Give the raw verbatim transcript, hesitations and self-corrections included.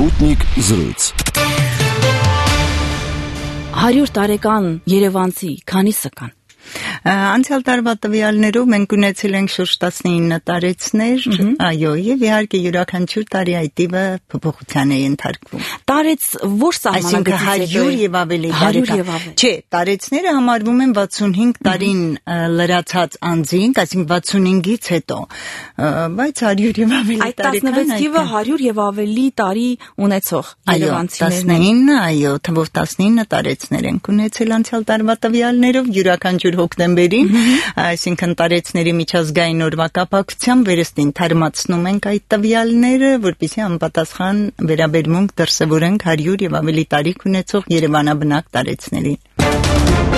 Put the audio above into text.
Sputnik զրույց հարյուր տարեկան երևանցի քանիսը կան։ Անցյալ տարվա տվյալներով մենք ունեցել ենք շուրջ տասնինը տարեցներ, այո, եւ իհարկե յուրաքանչյուր տարի այդ տիպը փոփոխության է ընթարկվում։ Տարեց որ սահմանագծից հարյուր եւ ավելի տարեկան։ Չէ, տարեցները համարվում են վաթսունհինգ տարին լրացած անձինք, այսինքն վաթսունհինգից հետո, բայց հարյուր եւ ավելի տարեկան։ Այդ տասնվեց թիվը հարյուր եւ ավելի տարի ունեցող երևանցիներն են։ տասնինը, այո, թվով տասնինը տարեցներ ենք ունեցել անցյալ տարվա տվյալներով յուրաքանչյուր հոկտեմբերին, այսինքն տարեցների միջազգային օրվա կապակցությամբ վերստին թարմացնում ենք այդ տվյալները, որպեսզի անպատասխան վերաբերմունք դրսևորենք հարյուր եւ ավելի տարիք ունեցող երևանաբնակ տարեցներին։